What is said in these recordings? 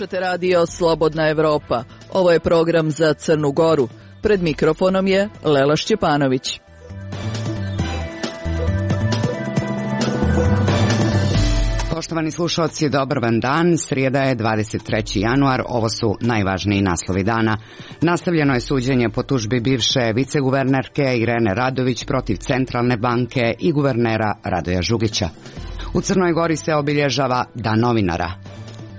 Slušate radio Slobodna Evropa. Ovo je program za Crnu Goru. Pred mikrofonom je Lela Šćepanović. Poštovani slušalci, dobar vam dan. Srijeda je 23. januar. Ovo su najvažniji naslovi dana. Nastavljeno je suđenje po tužbi bivše viceguvernerke Irene Radović protiv Centralne banke i guvernera Radoja Žugića. U Crnoj Gori se obilježava Dan novinara.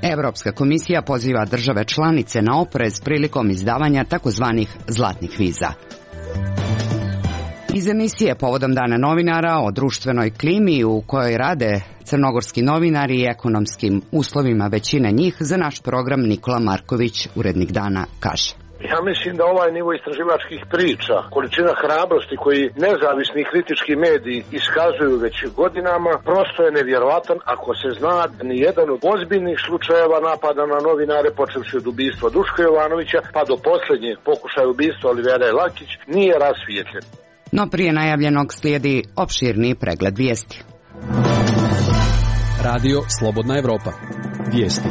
Evropska komisija poziva države članice na oprez prilikom izdavanja takozvanih zlatnih viza. Iz emisije povodom Dana novinara o društvenoj klimi u kojoj rade crnogorski novinari i ekonomskim uslovima većine njih, za naš program Nikola Marković, urednik Dana, kaže: Ja mislim da ovaj nivo istraživačkih priča, količina hrabrosti koji nezavisni kritički mediji iskazuju već godinama, prosto je nevjerovatan ako se zna da nijedan od ozbiljnih slučajeva napada na novinare, počevši od ubistva Duška Jovanovića pa do posljednjeg pokušaja ubistva Olivera Lakić, nije rasvijetljen. No prije najavljenog slijedi opširni pregled vijesti. Radio Slobodna Evropa. Vijesti.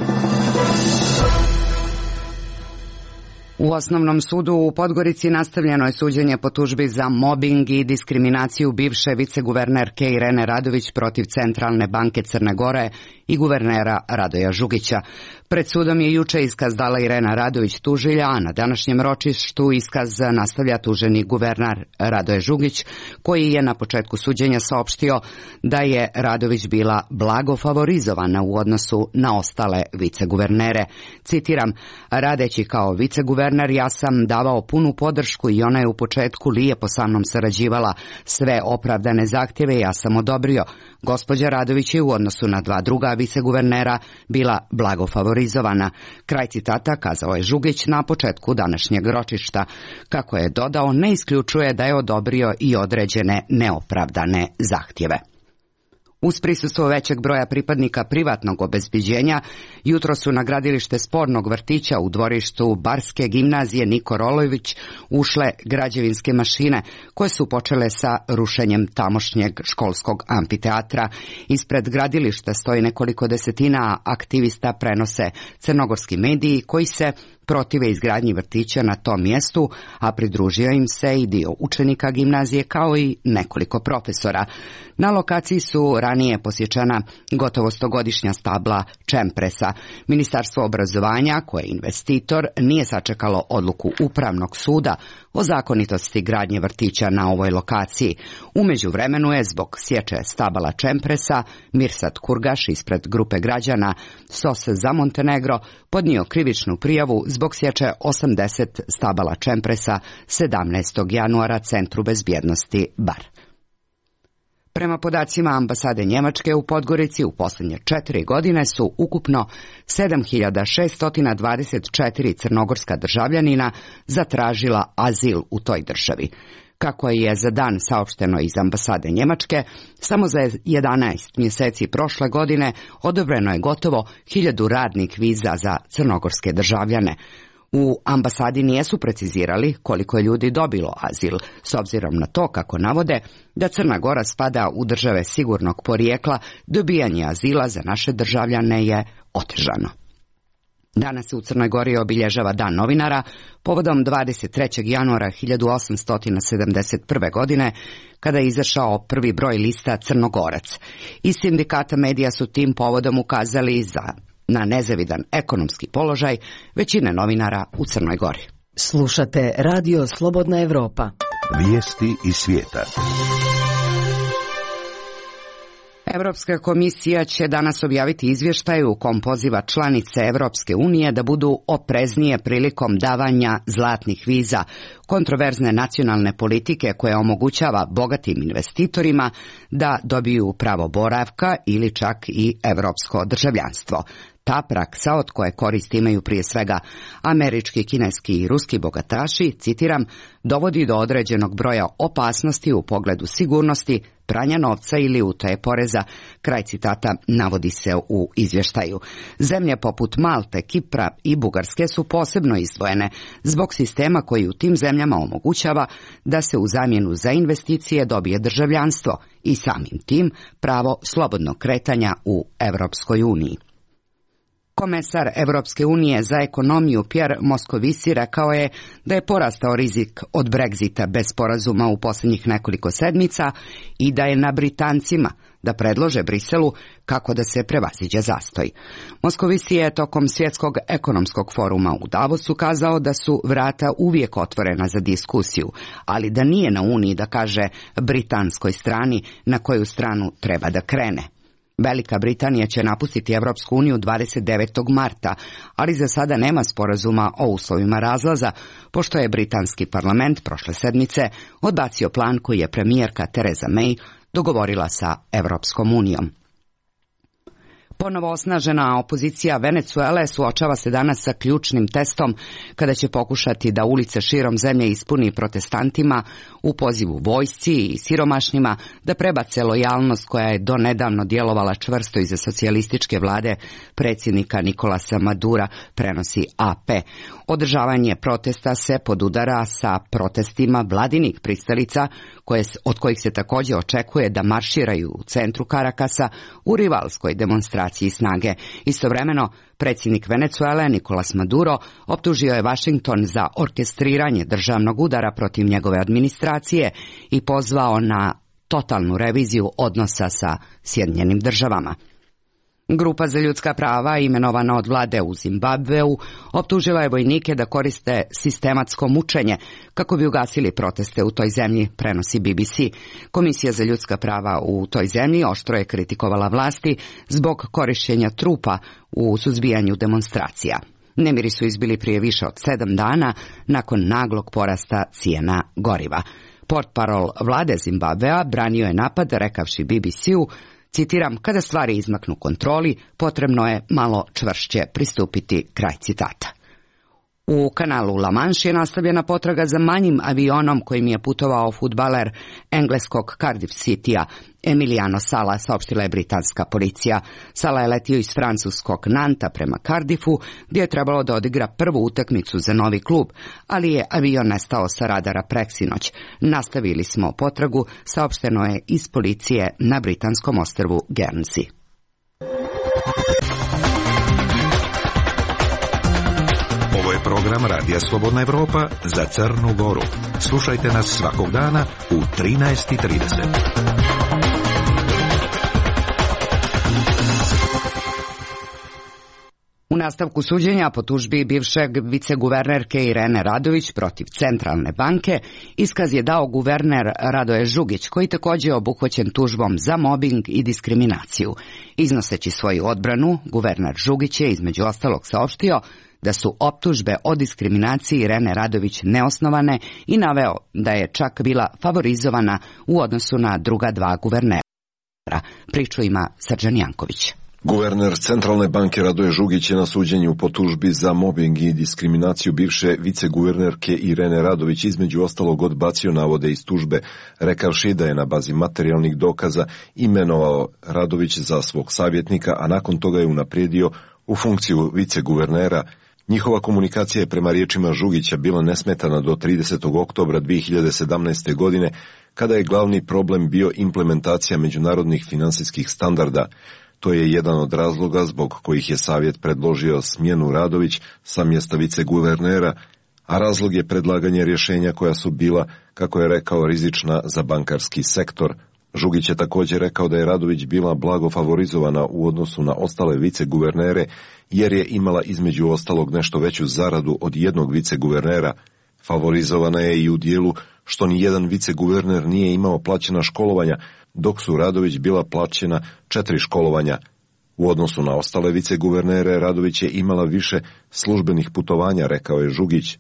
U Osnovnom sudu u Podgorici nastavljeno je suđenje po tužbi za mobing i diskriminaciju bivše viceguvernerke Irene Radović protiv Centralne banke Crne Gore i guvernera Radoja Žugića. Pred sudom je juče iskaz dala Irena Radović tužilja, a na današnjem ročištu iskaz nastavlja tuženi guverner Radoje Žugić, koji je na početku suđenja saopštio da je Radović bila blago favorizovana u odnosu na ostale viceguvernere. Citiram: radeći kao viceguverner ja sam davao punu podršku i ona je u početku lijepo sa mnom sarađivala. Sve opravdane zahtjeve ja sam odobrio. Gospođa Radović je u odnosu na dva druga viceguvernera bila blago favorizovana. Kraj citata, kazao je Žugić na početku današnjeg ročišta. Kako je dodao, ne isključuje da je odobrio i određene neopravdane zahtjeve. Uz prisustvo većeg broja pripadnika privatnog obezbeđenja, jutro su na gradilište spornog vrtića u dvorištu Barske gimnazije Niko Rolojević ušle građevinske mašine koje su počele sa rušenjem tamošnjeg školskog amfiteatra. Ispred gradilišta stoji nekoliko desetina aktivista, prenose crnogorski mediji koji se protive izgradnji vrtića na tom mjestu, a pridružio im se i dio učenika gimnazije kao i nekoliko profesora. Na lokaciji su ranije posjećana gotovo 100-godišnja stabla čempresa. Ministarstvo obrazovanja, koje je investitor, nije sačekalo odluku Upravnog suda o zakonitosti gradnje vrtića na ovoj lokaciji. U međuvremenu je zbog sječe stabala čempresa Mirsad Kurgaš ispred grupe građana SOS za Montenegro podnio krivičnu prijavu zbog sječe 80 stabala čempresa 17. januara Centru bezbjednosti Bar. Prema podacima ambasade Njemačke u Podgorici u posljednje 4 godine su ukupno 7624 crnogorska državljanina zatražila azil u toj državi. Kako je za dan saopšteno iz ambasade Njemačke, samo za 11 mjeseci prošle godine odobreno je gotovo 1000 radnih viza za crnogorske državljane. U ambasadi nisu precizirali koliko je ljudi dobilo azil, s obzirom na to, kako navode, da Crna Gora spada u države sigurnog porijekla, dobijanje azila za naše državljane je otežano. Danas se u Crnoj Gori obilježava Dan novinara povodom 23. januara 1871. godine, kada je izašao prvi broj lista Crnogorac. Iz sindikata medija su tim povodom ukazali na nezavidan ekonomski položaj većine novinara u Crnoj Gori. Slušate radio Slobodna Evropa. Vijesti iz svijeta. Europska komisija će danas objaviti izvještaj u kom poziva članice Europske unije da budu opreznije prilikom davanja zlatnih viza, kontroverzne nacionalne politike koja omogućava bogatim investitorima da dobiju pravo boravka ili čak i europsko državljanstvo. Ta praksa, od koje korist imaju prije svega američki, kineski i ruski bogataši, citiram, dovodi do određenog broja opasnosti u pogledu sigurnosti, pranja novca ili utaje poreza. Kraj citata navodi se u izvještaju. Zemlje poput Malte, Kipra i Bugarske su posebno izdvojene zbog sistema koji u tim zemljama omogućava da se u zamjenu za investicije dobije državljanstvo i samim tim pravo slobodnog kretanja u Europskoj uniji. Komesar Evropske unije za ekonomiju Pierre Moscovici rekao je da je porastao rizik od Brexita bez sporazuma u posljednjih nekoliko sedmica i da je na Britancima da predlože Briselu kako da se prevaziđe zastoj. Moscovici je tokom Svjetskog ekonomskog foruma u Davosu kazao da su vrata uvijek otvorena za diskusiju, ali da nije na Uniji da kaže britanskoj strani na koju stranu treba da krene. Velika Britanija će napustiti Evropsku uniju 29. marta, ali za sada nema sporazuma o uslovima razlaza, pošto je britanski parlament prošle sedmice odbacio plan koji je premijerka Theresa May dogovorila sa Evropskom unijom. Ponovo osnažena opozicija Venecuele suočava se danas sa ključnim testom kada će pokušati da ulice širom zemlje ispuni protestantima u pozivu vojsci i siromašnima da prebace lojalnost koja je donedavno djelovala čvrsto iza socijalističke vlade predsjednika Nicolasa Madura, prenosi AP. Održavanje protesta se podudara sa protestima vladinih pristalica od kojih se također očekuje da marširaju u centru Karakasa u rivalskoj demonstraciji snage. Istovremeno, predsjednik Venecuele Nicolas Maduro optužio je Washington za orkestriranje državnog udara protiv njegove administracije i pozvao na totalnu reviziju odnosa sa Sjedinjenim državama. Grupa za ljudska prava, imenovana od vlade u Zimbabveu, optužila je vojnike da koriste sistematsko mučenje kako bi ugasili proteste u toj zemlji, prenosi BBC. Komisija za ljudska prava u toj zemlji oštro je kritikovala vlasti zbog korištenja trupa u suzbijanju demonstracija. Nemiri su izbili prije više od 7 dana nakon naglog porasta cijena goriva. Portparol vlade Zimbabvea branio je napad rekavši BBC-u, citiram, kada stvari izmaknu kontroli, potrebno je malo čvršće pristupiti, kraj citata. U kanalu La Manche je nastavljena potraga za manjim avionom kojim je putovao fudbaler engleskog Cardiff Citya Emiliano Sala, saopštila je britanska policija. Sala je letio iz francuskog Nanta prema Cardiffu, gdje je trebalo da odigra prvu utakmicu za novi klub, ali je avion nestao sa radara preksinoć. Nastavili smo potragu, saopšteno je iz policije na britanskom ostrvu Guernsey. Ovo je program Radija Slobodna Evropa za Crnu Goru. Slušajte nas svakog dana u 13:30. U nastavku suđenja po tužbi bivšeg viceguvernerke Irene Radović protiv Centralne banke, iskaz je dao guverner Radoje Žugić, koji također je obuhvaćen tužbom za mobing i diskriminaciju. Iznoseći svoju odbranu, guverner Žugić je između ostalog saopštio da su optužbe o diskriminaciji Irene Radović neosnovane i naveo da je čak bila favorizovana u odnosu na druga dva guvernera. Priču ima Srđan Janković. Guverner Centralne banke Radoje Žugić je na suđenju po tužbi za mobing i diskriminaciju bivše viceguvernerke Irene Radović između ostalog odbacio navode iz tužbe, rekavši da je na bazi materijalnih dokaza imenovao Radović za svog savjetnika, a nakon toga je unaprijedio u funkciju viceguvernera. Njihova komunikacija je prema riječima Žugića bila nesmetana do 30. oktobra 2017. godine, kada je glavni problem bio implementacija međunarodnih finansijskih standarda. To je jedan od razloga zbog kojih je savjet predložio smjenu Radović sa mjesta viceguvernera, a razlog je predlaganje rješenja koja su bila, kako je rekao, rizična za bankarski sektor. Žugić je također rekao da je Radović bila blago favorizovana u odnosu na ostale viceguvernere, jer je imala između ostalog nešto veću zaradu od jednog viceguvernera. Favorizovana je i u dijelu što ni jedan viceguverner nije imao plaćena školovanja, dok su Radović bila plaćena 4 školovanja. U odnosu na ostale viceguvernere, Radović je imala više službenih putovanja, rekao je Žugić.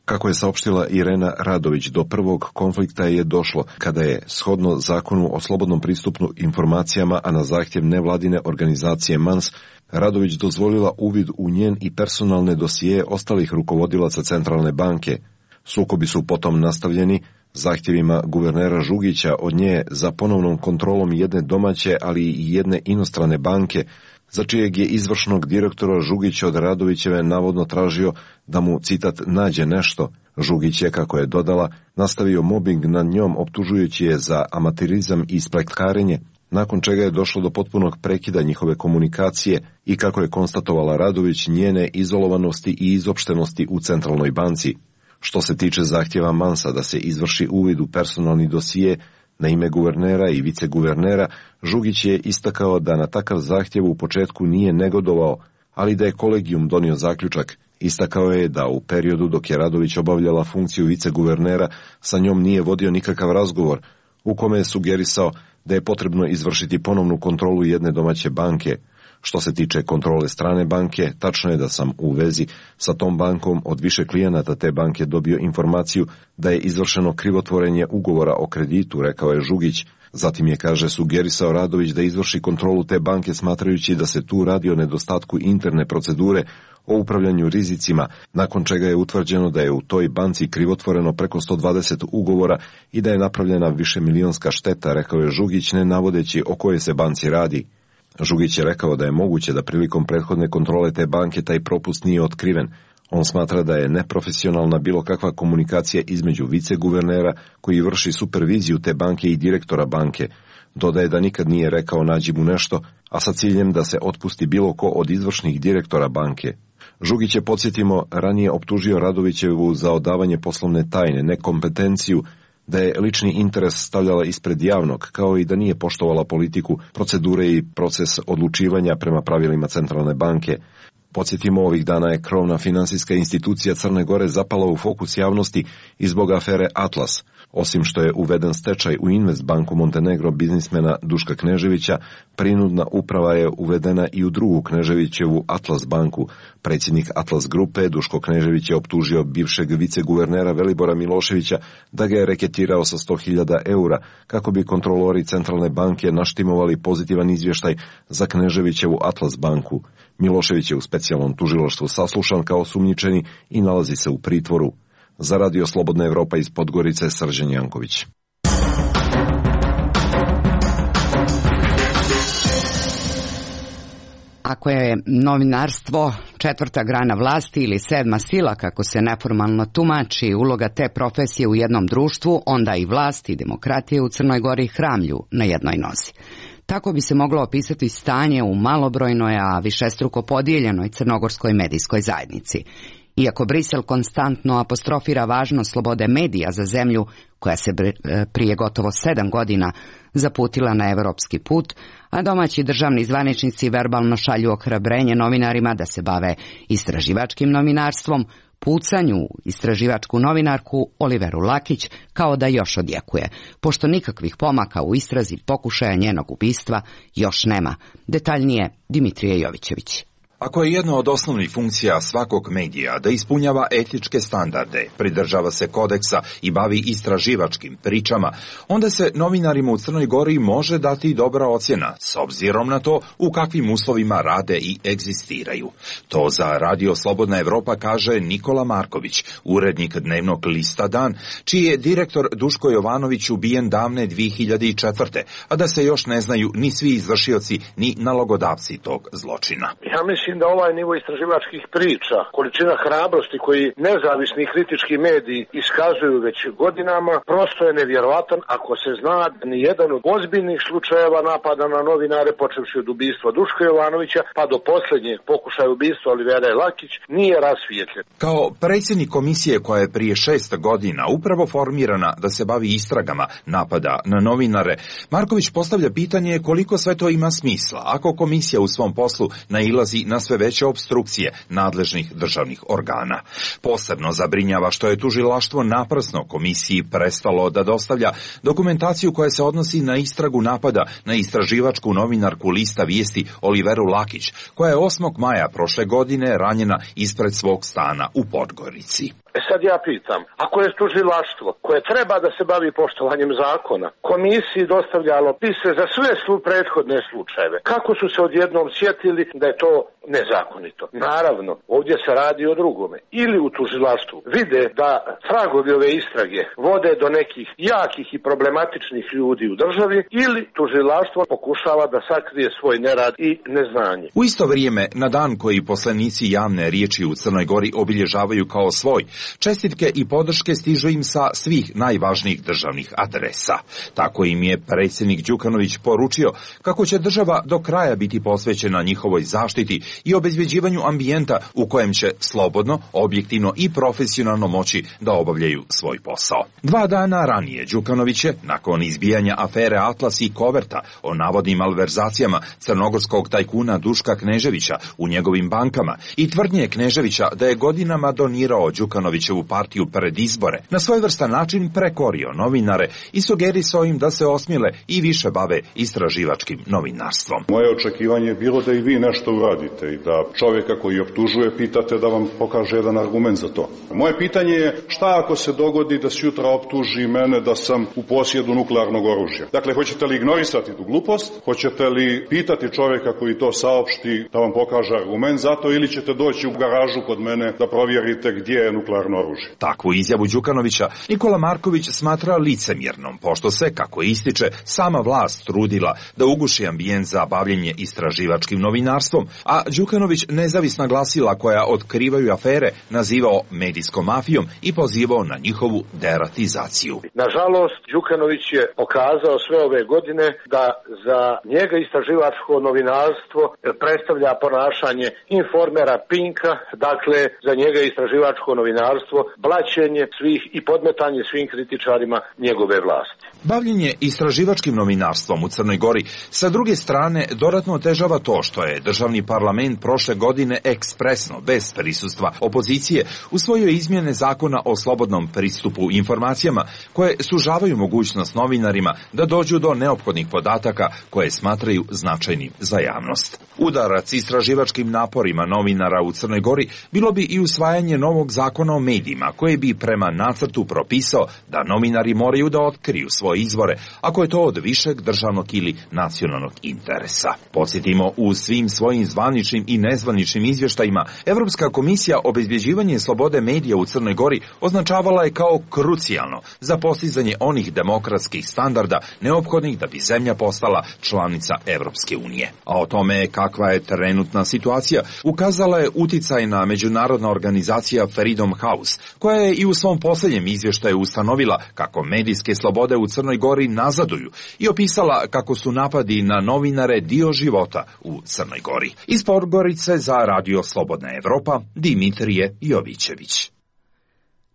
Kako je saopštila Irena Radović, do prvog konflikta je došlo kada je, shodno zakonu o slobodnom pristupu informacijama, a na zahtjev nevladine organizacije MANS, Radović dozvolila uvid u njen i personalne dosije ostalih rukovodilaca Centralne banke. Sukobi su potom nastavljeni zahtjevima guvernera Žugića od nje za ponovnom kontrolom jedne domaće, ali i jedne inostrane banke, za čijeg je izvršnog direktora Žugić od Radovićeve navodno tražio da mu, citat, nađe nešto. Žugić je, kako je dodala, nastavio mobing nad njom, optužujući je za amaterizam i spletkarenje. nakon čega je došlo do potpunog prekida njihove komunikacije i, kako je konstatovala Radović, njene izolovanosti i izopštenosti u Centralnoj banci. Što se tiče zahtjeva Mansa da se izvrši uvid u personalni dosije na ime guvernera i viceguvernera, Žugić je istakao da na takav zahtjev u početku nije negodovao, ali da je kolegijum donio zaključak. Istakao je da u periodu dok je Radović obavljala funkciju viceguvernera sa njom nije vodio nikakav razgovor, u kome je sugerisao da je potrebno izvršiti ponovnu kontrolu jedne domaće banke. Što se tiče kontrole strane banke, tačno je da sam u vezi sa tom bankom od više klijenata te banke dobio informaciju da je izvršeno krivotvorenje ugovora o kreditu, rekao je Žugić. Zatim je, kaže, sugerisao Radović da izvrši kontrolu te banke smatrajući da se tu radi o nedostatku interne procedure o upravljanju rizicima, nakon čega je utvrđeno da je u toj banci krivotvoreno preko 120 ugovora i da je napravljena višemilionska šteta, rekao je Žugić, ne navodeći o kojoj se banci radi. Žugić je rekao da je moguće da prilikom prethodne kontrole te banke taj propust nije otkriven. On smatra da je neprofesionalna bilo kakva komunikacija između viceguvernera koji vrši superviziju te banke i direktora banke. Dodaje da nikad nije rekao nađi mu nešto, a sa ciljem da se otpusti bilo ko od izvršnih direktora banke. Žugić je, podsjetimo, ranije optužio Radovićevu za odavanje poslovne tajne, nekompetenciju, da je lični interes stavljala ispred javnog, kao i da nije poštovala politiku, procedure i proces odlučivanja prema pravilima Centralne banke. Podsjetimo, ovih dana je krovna finansijska institucija Crne Gore zapala u fokus javnosti i zbog afere Atlas. Osim što je uveden stečaj u Investbanku Montenegro biznismena Duška Kneževića, prinudna uprava je uvedena i u drugu Kneževićevu Atlas banku. Predsjednik Atlas grupe Duško Knežević je optužio bivšeg viceguvernera Velibora Miloševića da ga je reketirao sa 100.000 eura kako bi kontrolori Centralne banke naštimovali pozitivan izvještaj za Kneževićevu Atlas banku. Milošević je u specijalnom tužilaštvu saslušan kao osumnjičeni i nalazi se u pritvoru. Za Radio Slobodna Evropa iz Podgorice, Srđan Janković. Ako je novinarstvo četvrta grana vlasti ili sedma sila, kako se neformalno tumači uloga te profesije u jednom društvu, onda i vlast i demokratije u Crnoj Gori hramlju na jednoj nozi. Tako bi se moglo opisati stanje u malobrojnoj, a višestruko podijeljenoj crnogorskoj medijskoj zajednici. Iako Brisel konstantno apostrofira važnost slobode medija za zemlju koja se prije gotovo 7 godina zaputila na evropski put, a domaći državni zvaničnici verbalno šalju ohrabrenje novinarima da se bave istraživačkim novinarstvom, pucanju istraživačku novinarku Oliveru Lakić kao da još odjekuje, pošto nikakvih pomaka u istrazi pokušaja njenog ubistva još nema. Detaljnije Dimitrije Jovićević. Ako je jedna od osnovnih funkcija svakog medija da ispunjava etičke standarde, pridržava se kodeksa i bavi istraživačkim pričama, onda se novinarima u Crnoj Gori može dati dobra ocjena, s obzirom na to u kakvim uslovima rade i egzistiraju. To za Radio Slobodna Evropa kaže Nikola Marković, urednik dnevnog lista Dan, čiji je direktor Duško Jovanović ubijen davne 2004. a da se još ne znaju ni svi izvršioci ni nalogodavci tog zločina. Ja mislim da ovaj nivo istraživačkih priča, količina hrabrosti koji nezavisni kritički mediji iskazuju već godinama, prosto je nevjerovatan ako se zna da ni jedan od ozbiljnih slučajeva napada na novinare, počevši od ubistva Duška Jovanovića pa do posljednjeg pokušaja ubistva Olivere Lakić, nije rasvijetljen. Kao predsjednik komisije koja je prije 6 godina upravo formirana da se bavi istragama napada na novinare, Marković postavlja pitanje koliko sve to ima smisla ako komisija u svom poslu nailazi na sve veće opstrukcije nadležnih državnih organa. Posebno zabrinjava što je tužilaštvo naprasno komisiji prestalo da dostavlja dokumentaciju koja se odnosi na istragu napada na istraživačku novinarku lista Vijesti Oliveru Lakić, koja je 8. maja prošle godine ranjena ispred svog stana u Podgorici. Sad ja pitam, ako je tužilaštvo koje treba da se bavi poštovanjem zakona, komisiji dostavljalo pise za sve prethodne slučajeve, kako su se odjednom sjetili da je to nezakonito? Naravno, ovdje se radi o drugome. Ili u tužilaštvu vide da tragovi ove istrage vode do nekih jakih i problematičnih ljudi u državi, ili tužilaštvo pokušava da sakrije svoj nerad i neznanje. U isto vrijeme, na dan koji poslanici javne riječi u Crnoj Gori obilježavaju kao svoj, Čestitke i podrške stižu im sa svih najvažnijih državnih adresa. Tako im je predsjednik Đukanović poručio kako će država do kraja biti posvećena njihovoj zaštiti i obezbeđivanju ambijenta u kojem će slobodno, objektivno i profesionalno moći da obavljaju svoj posao. 2 dana ranije Đukanović je, nakon izbijanja afere Atlas i Koverta o navodnim malverzacijama crnogorskog tajkuna Duška Kneževića u njegovim bankama i tvrdnje Kneževića da je godinama donirao Đukanovićevu partiju pred izbore, na svojevrstan način prekorio novinare i sugerisao im da se osmile i više bave istraživačkim novinarstvom. Moje očekivanje je bilo da i vi nešto uradite i da čovjeka koji optužuje pitate da vam pokaže jedan argument za to. Moje pitanje je šta ako se dogodi da se jutra optuži mene da sam u posjedu nuklearnog oružja? Dakle, hoćete li ignorisati tu glupost? Hoćete li pitati čovjeka koji to saopšti da vam pokaže argument za to ili ćete doći u garažu kod mene da provjerite gdje je nuklearno oružje? Takvu izjavu Đukanovića Nikola Marković smatra licemjernom, pošto se, kako ističe, sama vlast trudila da uguši ambijent za bavljenje istraživačkim novinarstvom, a Đukanović nezavisna glasila koja otkrivaju afere nazivao medijskom mafijom i pozivao na njihovu deratizaciju. Nažalost, Đukanović je pokazao sve ove godine da za njega istraživačko novinarstvo predstavlja ponašanje informera Pinka, dakle za njega istraživačko novinarstvo blaćenje svih i podmetanje svim kritičarima njegove vlasti. Bavljenje istraživačkim novinarstvom u Crnoj Gori sa druge strane dodatno otežava to što je državni parlament prošle godine ekspresno, bez prisustva opozicije, usvojio izmjene zakona o slobodnom pristupu informacijama koje sužavaju mogućnost novinarima da dođu do neophodnih podataka koje smatraju značajnim za javnost. Udarac istraživačkim naporima novinara u Crnoj Gori bilo bi i usvajanje novog zakona o medijima koje bi prema nacrtu propisao da novinari moraju da otkriju svoje izvore ako je to od višeg državnog ili nacionalnog interesa. Podsjetimo, u svim svojim zvaničnim i nezvaničnim izvještajima Evropska komisija obezbeđivanje slobode medija u Crnoj Gori označavala je kao krucijalno za postizanje onih demokratskih standarda neophodnih da bi zemlja postala članica Evropske unije. A o tome kakva je trenutna situacija ukazala je uticajna međunarodna organizacija Freedom House, koja je i u svom posljednjem izvještaju ustanovila kako medijske slobode u Crnoj Gori nazaduju i opisala kako su napadi na novinare dio života u Crnoj Gori. Iz Podgorice za Radio Slobodna Evropa, Dimitrije Jovićević.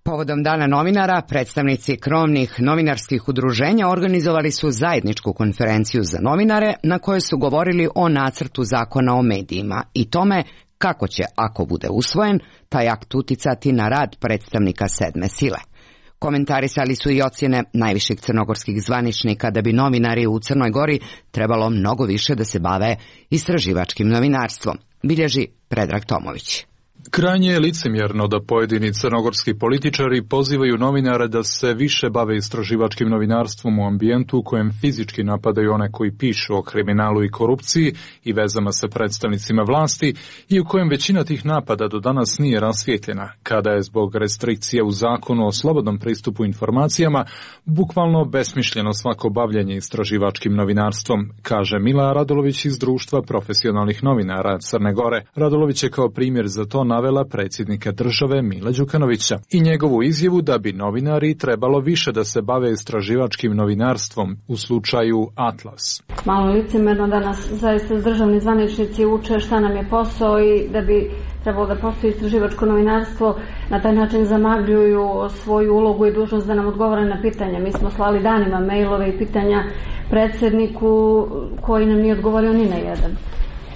Povodom Dana novinara, predstavnici krovnih novinarskih udruženja organizovali su zajedničku konferenciju za novinare na kojoj su govorili o nacrtu zakona o medijima i tome kako će, ako bude usvojen, taj akt uticati na rad predstavnika sedme sile. Komentarisali su i ocjene najviših crnogorskih zvaničnika da bi novinari u Crnoj Gori trebalo mnogo više da se bave istraživačkim novinarstvom, bilježi Predrag Tomović. Krajnje je licemjerno da pojedini crnogorski političari pozivaju novinare da se više bave istraživačkim novinarstvom u ambijentu u kojem fizički napadaju one koji pišu o kriminalu i korupciji i vezama sa predstavnicima vlasti i u kojem većina tih napada do danas nije rasvijetljena, kada je zbog restrikcije u zakonu o slobodnom pristupu informacijama bukvalno besmišljeno svako bavljanje istraživačkim novinarstvom, kaže Mila Radolović iz Društva profesionalnih novinara Crne Gore. Radolović je kao primjer za to navela predsjednika države Mila Đukanovića i njegovu izjavu da bi novinari trebalo više da se bave istraživačkim novinarstvom u slučaju Atlas. Malo licemjerno da nas zaista državni zvaničnici uče šta nam je posao i da bi trebalo da postoji istraživačko novinarstvo, na taj način zamagljuju svoju ulogu i dužnost da nam odgovore na pitanja. Mi smo slali danima mailove i pitanja predsjedniku koji nam nije odgovorio ni na jedan,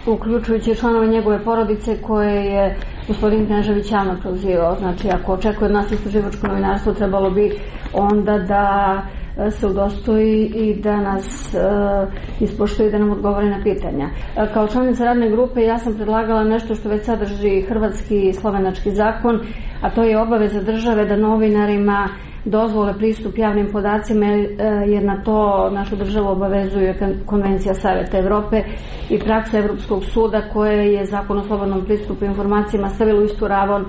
uključujući članove njegove porodice koje je gospodin Knežević javno prozivao. Znači, ako očekuje od nas istraživačko novinarstvo, trebalo bi onda da se udostoji i da nas ispoštuje i da nam odgovori na pitanja. Kao članica radne grupe ja sam predlagala nešto što već sadrži hrvatski i slovenački zakon, a to je obaveza države da novinarima dozvole pristup javnim podacima, jer na to našu državu obavezuje Konvencija Saveta Evrope i praksa Evropskog suda koje je zakon o slobodnom pristupu informacijama stavila u istu ravan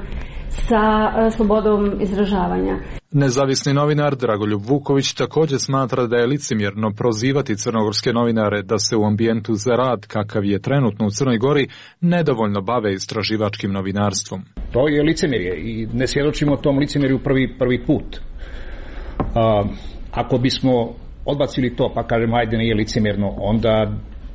sa slobodom izražavanja. Nezavisni novinar Dragoljub Vuković također smatra da je licemjerno prozivati crnogorske novinare da se u ambijentu za rad, kakav je trenutno u Crnoj Gori, nedovoljno bave istraživačkim novinarstvom. To je licemjerje i ne svjedočimo tom licemjerju prvi put. Ako bismo odbacili to pa kažemo ajde nije licemjerno, onda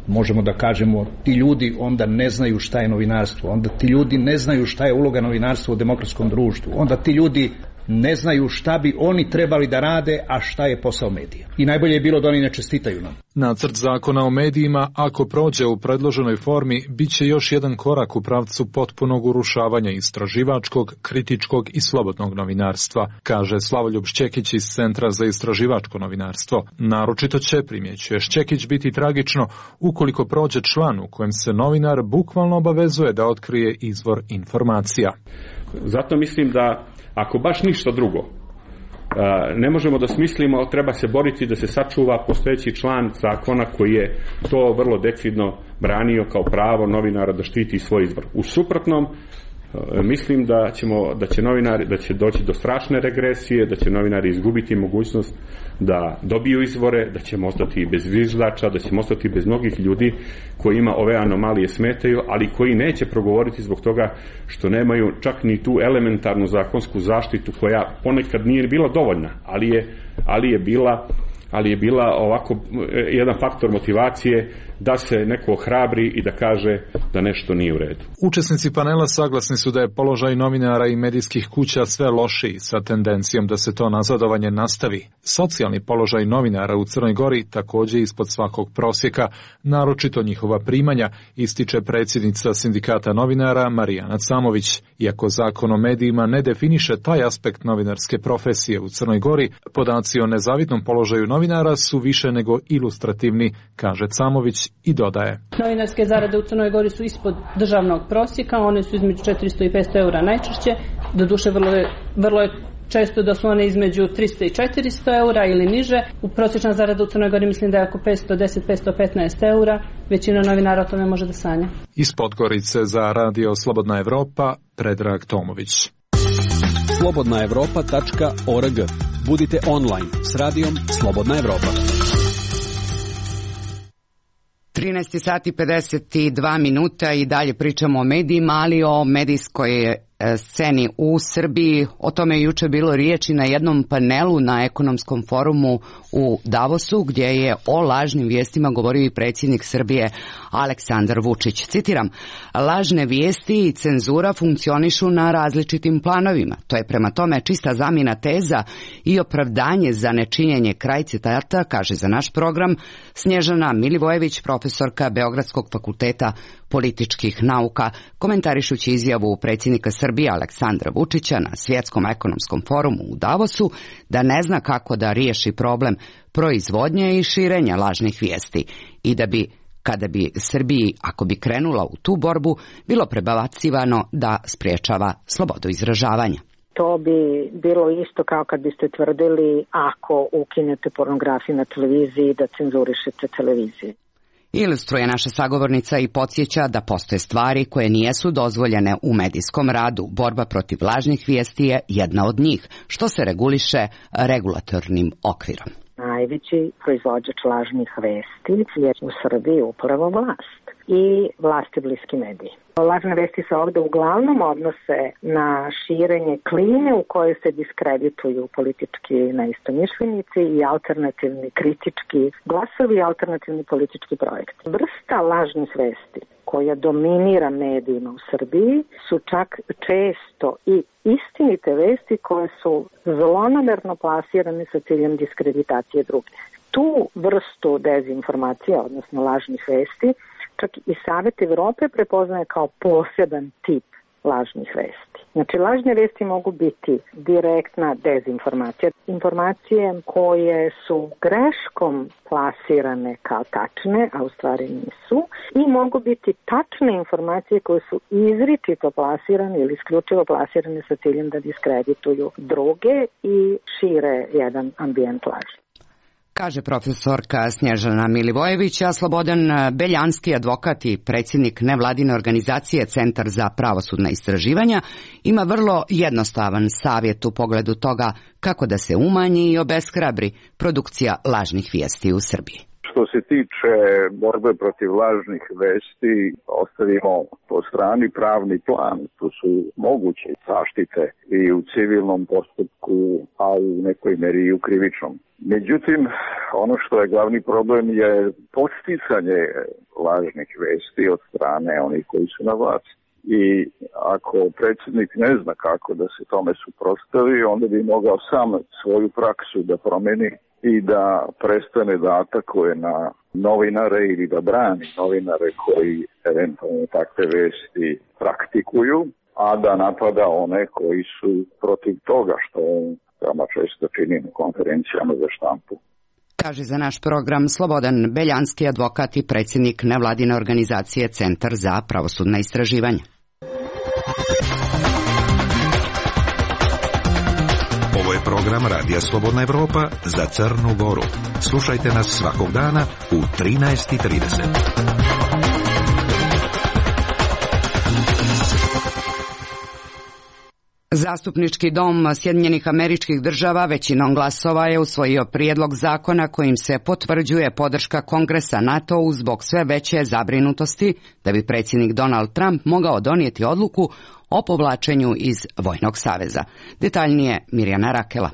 možemo da kažemo ti ljudi onda ne znaju šta je novinarstvo, onda ti ljudi ne znaju šta je uloga novinarstva u demokratskom društvu, onda ti ljudi ne znaju šta bi oni trebali da rade, a šta je posao medija. I najbolje je bilo da oni ne čestitaju nam. Nacrt zakona o medijima, ako prođe u predloženoj formi, bit će još jedan korak u pravcu potpunog urušavanja istraživačkog, kritičkog i slobodnog novinarstva, kaže Slavoljub Šćekić iz Centra za istraživačko novinarstvo. Naročito će, primjećuje Šćekić, biti tragično ukoliko prođe član u kojem se novinar bukvalno obavezuje da otkrije izvor informacija. Zato mislim da ako baš ništa drugo ne možemo da smislimo, ali treba se boriti da se sačuva postojeći član zakona koji je to vrlo decidno branio kao pravo novinara da štiti svoj izvor. U suprotnom, mislim da će doći do strašne regresije, da će novinari izgubiti mogućnost da dobiju izvore, da ćemo ostati bez zviždača, da ćemo ostati bez mnogih ljudi kojima ove anomalije smetaju, ali koji neće progovoriti zbog toga što nemaju čak ni tu elementarnu zakonsku zaštitu koja ponekad nije bila dovoljna, ali je bila ovako jedan faktor motivacije da se neko ohrabri i da kaže da nešto nije u redu. Učesnici panela saglasni su da je položaj novinara i medijskih kuća sve lošiji, sa tendencijom da se to nazadovanje nastavi. Socijalni položaj novinara u Crnoj Gori također ispod svakog prosjeka, naročito njihova primanja, ističe predsjednica Sindikata novinara Marijana Camović. Iako zakon o medijima ne definiše taj aspekt novinarske profesije u Crnoj Gori, podaci o nezavidnom položaju novinara su više nego ilustrativni, kaže Camović i dodaje. Novinarske zarade u Crnoj Gori su ispod državnog prosjeka, one su između 400 i 500 eura najčešće, doduše vrlo je često da su one između 300 i 400 eura ili niže. U prosječna zarada u Crnoj Gori mislim da je oko 510-515 eura, većina novinara o tome može da sanja. Iz Podgorice za Radio Slobodna Evropa, Predrag Tomović. slobodnaevropa.org. Budite online s radijom Slobodna Evropa. 13 sati 52 minuta i dalje pričamo o medijima, ali o medijskoj sceni u Srbiji. O tome je juče bilo riječi na jednom panelu na ekonomskom forumu u Davosu, gdje je o lažnim vijestima govorio i predsjednik Srbije Aleksandar Vučić. Citiram, lažne vijesti i cenzura funkcionišu na različitim planovima. To je prema tome čista zamjena teza i opravdanje za nečinjenje, kraj citata, kaže za naš program Snježana Milivojević, profesorka Beogradskog fakulteta političkih nauka, komentarišući izjavu predsjednika Srbije Aleksandra Vučića na Svjetskom ekonomskom forumu u Davosu da ne zna kako da riješi problem proizvodnje i širenja lažnih vijesti i da bi, kada bi Srbiji, ako bi krenula u tu borbu, bilo prebacivano da spriječava slobodu izražavanja. To bi bilo isto kao kad biste tvrdili ako ukinete pornografiju na televiziji da cenzurišete televiziju. Ilustruje naša sagovornica i podsjeća da postoje stvari koje nijesu dozvoljene u medijskom radu. Borba protiv lažnih vijesti je jedna od njih, što se reguliše regulatornim okvirom. Najveći proizvođač lažnih vesti je u Srbiji upravo vlast i vlasti bliski mediji. Lažne vesti se ovdje uglavnom odnose na širenje klime u kojoj se diskredituju politički neistomišljenici i alternativni kritički glasovi i alternativni politički projekti. Vrsta lažnih vesti koja dominira medijima u Srbiji su čak često i istinite vesti koje su zlonamerno plasirane sa ciljem diskreditacije drugih. Tu vrstu dezinformacija, odnosno lažnih vesti, čak i Savet Evrope prepoznaje kao poseban tip lažnih vesti. Znači, lažne vesti mogu biti direktna dezinformacija, informacije koje su greškom plasirane kao tačne, a u stvari nisu, i mogu biti tačne informacije koje su izričito plasirane ili isključivo plasirane sa ciljem da diskredituju druge i šire jedan ambijent laži. Kaže profesorka Snježana Milivojević, a Slobodan Beljanski, advokat i predsjednik nevladine organizacije Centar za pravosudna istraživanja, ima vrlo jednostavan savjet u pogledu toga kako da se umanji i obeshrabri produkcija lažnih vijesti u Srbiji. Što se tiče borbe protiv lažnih vesti, ostavimo po strani pravni plan. Tu su moguće zaštite i u civilnom postupku, a u nekoj meri i u krivičnom. Međutim, ono što je glavni problem je podsticanje lažnih vesti od strane onih koji su na vlasti. I ako predsjednik ne zna kako da se tome suprotstavi, onda bi mogao sam svoju praksu da promeni i da prestane da atakuje na novinare ili da brani novinare koji eventualno takve vesti praktikuju, a da napada one koji su protiv toga, što on veoma često čini na konferencijama za štampu. Kaže za naš program Slobodan Beljanski, advokat i predsjednik nevladine organizacije Centar za pravosudna istraživanja. Ovo je program Radija Slobodna Evropa za Crnu Goru. Slušajte nas svakog dana u 13:30. Zastupnički dom Sjedinjenih Američkih Država većinom glasova je usvojio prijedlog zakona kojim se potvrđuje podrška Kongresa NATO-u zbog sve veće zabrinutosti da bi predsjednik Donald Trump mogao donijeti odluku o povlačenju iz Vojnog saveza. Detaljnije Mirjana Rakela.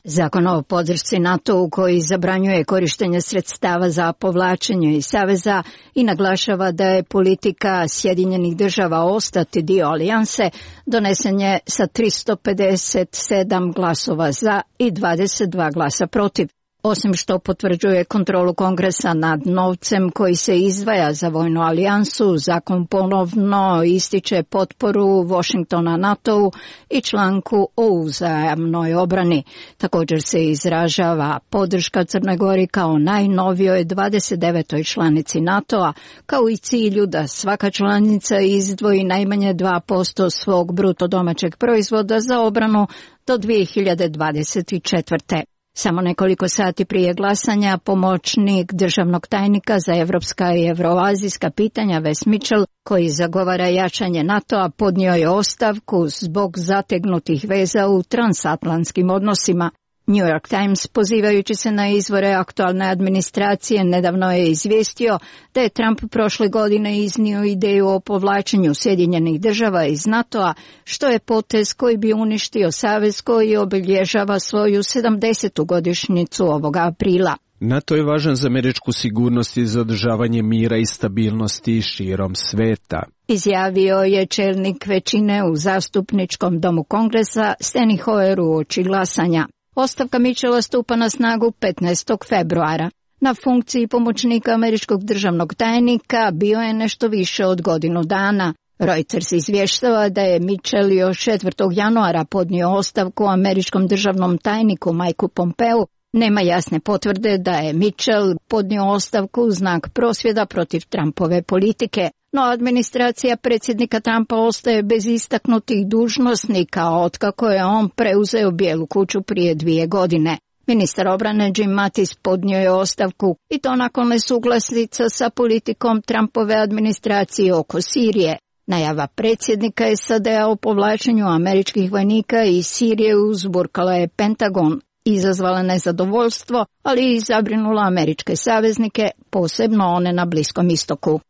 Zakon o podršci NATO-u koji zabranjuje korištenje sredstava za povlačenje iz saveza i naglašava da je politika Sjedinjenih Država ostati dio alijanse, donesen je sa 357 glasova za i 22 glasa protiv. Osim što potvrđuje kontrolu Kongresa nad novcem koji se izdvaja za vojnu alijansu, zakon ponovno ističe potporu Washingtona NATO-u i članku o uzajamnoj obrani. Također se izražava podrška Crnoj Gori kao najnovijoj 29. članici NATO-a, kao i cilju da svaka članica izdvoji najmanje 2% svog bruto domaćeg proizvoda za obranu do 2024. Samo nekoliko sati prije glasanja pomoćnik državnog tajnika za evropska i evroazijska pitanja Wes Mitchell, koji zagovara jačanje NATO-a, podnio je ostavku zbog zategnutih veza u transatlantskim odnosima. New York Times, pozivajući se na izvore aktualne administracije, nedavno je izvijestio da je Trump prošle godine iznio ideju o povlačenju Sjedinjenih Država iz NATO-a, što je potez koji bi uništio savez koji obilježava svoju 70. godišnjicu ovoga aprila. NATO je važan za američku sigurnost i za održavanje mira i stabilnosti širom sveta, izjavio je čelnik većine u zastupničkom domu Kongresa Steny Hoyer uoči glasanja. Ostavka Mitchella stupa na snagu 15. februara. Na funkciji pomoćnika američkog državnog tajnika bio je nešto više od godinu dana. Reuters izvještava da je Mitchell još 4. januara podnio ostavku američkom državnom tajniku Mikeu Pompeu. Nema jasne potvrde da je Mitchell podnio ostavku u znak prosvjeda protiv Trumpove politike. No administracija predsjednika Trumpa ostaje bez istaknutih dužnosnika otkako je on preuzeo Bijelu kuću prije 2 godine. Ministar obrane Jim Mattis podnio je ostavku i to nakon nesuglasica sa politikom Trumpove administracije oko Sirije. Najava predsjednika SAD-a o povlačenju američkih vojnika iz Sirije uzburkala je Pentagon, izazvala nezadovoljstvo, ali i zabrinula američke saveznike, posebno one na Bliskom istoku.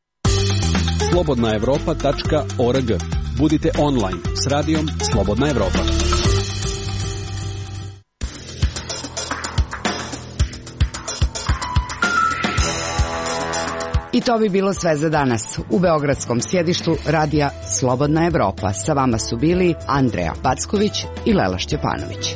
slobodnaevropa.org. Budite online s radijom Slobodna Evropa. I to bi bilo sve za danas. U beogradskom sjedištu radija Slobodna Evropa sa vama su bili Andreja Packović i Lela Šćepanović.